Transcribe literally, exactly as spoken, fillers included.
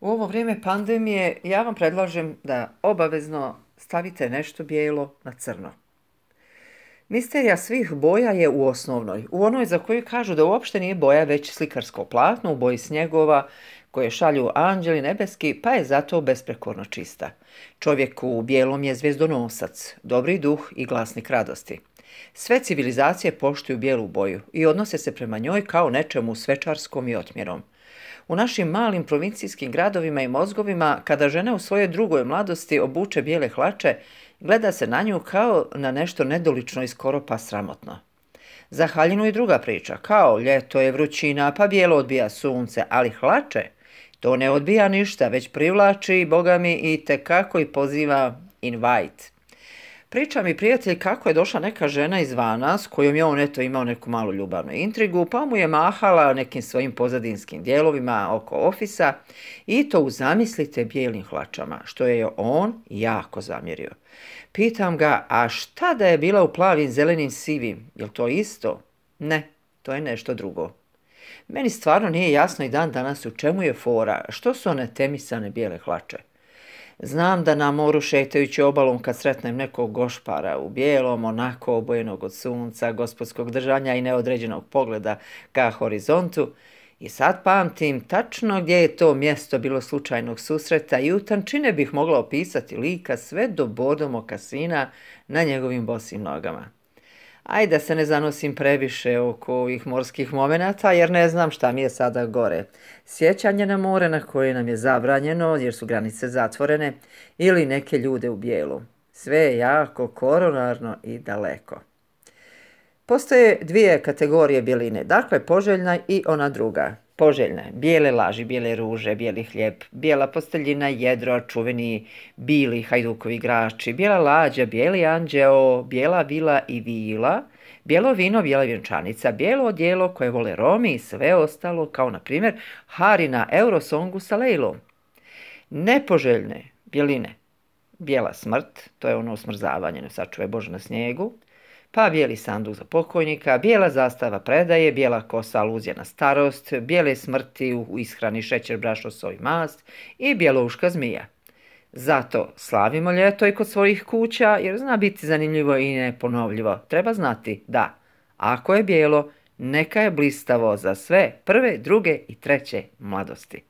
U ovo vrijeme pandemije ja vam predlažem da obavezno stavite nešto bijelo na crno. Misterija svih boja je u osnovnoj, u onoj za koju kažu da uopšte nije boja već slikarsko platno u boji snjegova koje šalju anđeli nebeski, pa je zato besprekorno čista. Čovjek u bijelom je zvijezdonosac, dobri duh i glasnik radosti. Sve civilizacije poštuju bijelu boju i odnose se prema njoj kao nečemu svečarskom i otmjerom. U našim malim provincijskim gradovima i mozgovima, kada žena u svojoj drugoj mladosti obuče bijele hlače, gleda se na nju kao na nešto nedolično i skoro pa sramotno. Za haljinu i druga priča, kao ljeto je vrućina, pa bijelo odbija sunce, ali hlače, to ne odbija ništa, već privlači, boga mi, i tekako i poziva invite. Priča mi prijatelj kako je došla neka žena izvana s kojom je on eto imao neku malu ljubavnu intrigu, pa mu je mahala nekim svojim pozadinskim dijelovima oko ofisa i to u zamislite bijelim hlačama, što je on jako zamjerio. Pitam ga, a šta da je bila u plavim, zelenim, sivim, jel to isto? Ne, to je nešto drugo. Meni stvarno nije jasno i dan danas u čemu je fora, što su one temisane bijele hlače. Znam da na moru šetajući obalom kad sretnem nekog gošpara u bijelom, onako obojenog od sunca, gospodskog držanja i neodređenog pogleda ka horizontu, i sad pamtim tačno gdje je to mjesto bilo slučajnog susreta i u tančine bih mogla opisati lika sve do bodo mokasina na njegovim bosim nogama. Ajde da se ne zanosim previše oko ovih morskih momenata, jer ne znam šta mi je sada gore. Sjećanje na more na koje nam je zabranjeno jer su granice zatvorene ili neke ljude u bijelu. Sve je jako koronarno i daleko. Postoje dvije kategorije bjeline, dakle poželjna i ona druga. Poželjna, bijele laži, bijele ruže, bijeli hljeb, bijela posteljina, jedro, čuveni bili hajdukovi igrači, bijela lađa, bijeli anđeo, bijela vila i vila, bijelo vino, bijela vjenčanica, bijelo odijelo koje vole Romi i sve ostalo, kao na primjer Hari na Eurosongu sa Lejlom. Nepoželjne bjeline, bijela smrt, to je ono smrzavanje, ne sačuvaj Bože na snijegu, pa bijeli sanduk za pokojnika, bijela zastava predaje, bijela kosa aluzija na starost, bijele smrti u ishrani šećer, brašno, soj, mast i bjelouška zmija. Zato slavimo ljeto i kod svojih kuća jer zna biti zanimljivo i neponovljivo. Treba znati da ako je bijelo, neka je blistavo za sve prve, druge i treće mladosti.